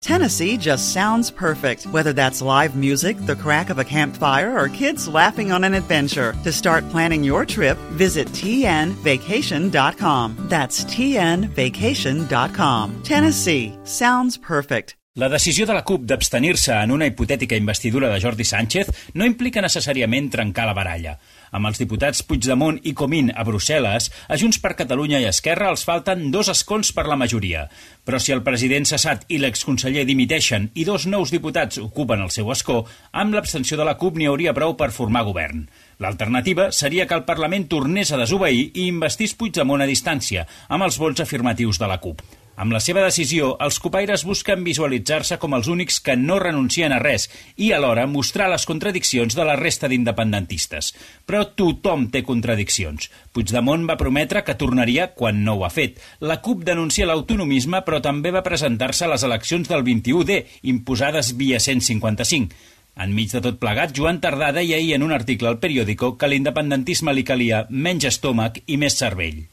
Tennessee just sounds perfect, whether that's live music, the crack of a campfire, or kids laughing on an adventure. To start planning your trip, visit tnvacation.com. That's tnvacation.com. Tennessee sounds perfect. La decisió de la CUP d'abstenir-se en una hipotètica investidura de Jordi Sánchez no implica necessàriament trencar la baralla. Amb els diputats Puigdemont i Comín a Brussel·les, a Junts per Catalunya i Esquerra els falten 2 escons per la majoria. Però si el president cessat i l'exconseller dimiteixen i 2 nous diputats ocupen el seu escó, amb l'abstenció de la CUP n'hi hauria prou per formar govern. L'alternativa seria que el Parlament tornés a desobeir i investissés Puigdemont a distància, amb els vots afirmatius de la CUP. Amb la seva decisió, els cupaires busquen visualitzar-se com els únics que no renuncien a res i alhora mostrar les contradiccions de la resta d'independentistes. Però tothom té contradiccions. Puigdemont va prometre que tornaria quan no ho ha fet. La CUP denuncia l'autonomisme, però també va presentar-se a les eleccions del 21D, imposades via 155. Enmig de tot plegat, Joan Tardà deia ahir en un article al Periódico que a l'independentisme li calia menys estómac i més cervell.